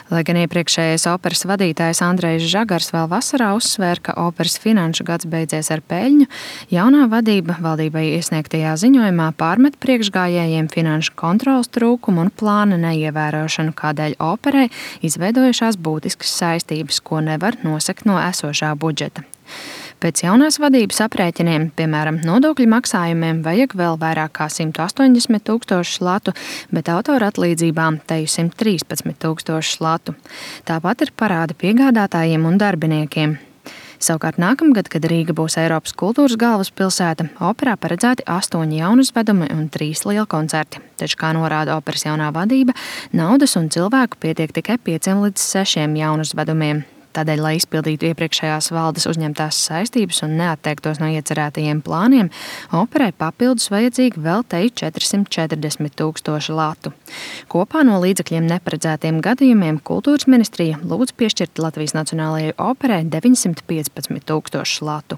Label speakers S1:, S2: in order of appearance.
S1: Lai gan iepriekšējais operas vadītājs Andrejs Žagars vēl vasarā uzsvēra, ka operas finanšu gads beidzies ar peļņu, jaunā vadība valdībai iesniegtajā ziņojumā pārmet priekšgājējiem finanšu kontroles trūkumu un plāna neievērošanu, kādēļ operai izveidojušās būtiskas saistības, ko nevar nosegt no esošā budžeta. Pēc jaunās vadības aprēķiniem, piemēram, nodokļu maksājumiem, vajag vēl vairāk kā 180 000 latu, bet autora atlīdzībām teju 113 000 latu. Tāpat ir parādi piegādātājiem un darbiniekiem. Savukārt nākamgad, kad Rīga būs Eiropas kultūras galvaspilsēta, operā paredzēti 8 jaunuzvedumi un 3 lielkoncerti. Taču, kā norāda operas jaunā vadība, naudas un cilvēku pietiek tikai 5 līdz 6 jaunuzvedumiem. Tādēļ, lai izpildītu iepriekšējās valdes uzņemtās saistības un neatteiktos no iecerētajiem plāniem, operai papildus vajadzīgi vēl teju 440 000 latu. Kopā no līdzekļiem neparedzētiem gadījumiem kultūras ministrija lūdz piešķirt Latvijas Nacionālajai operai 915 000 latu.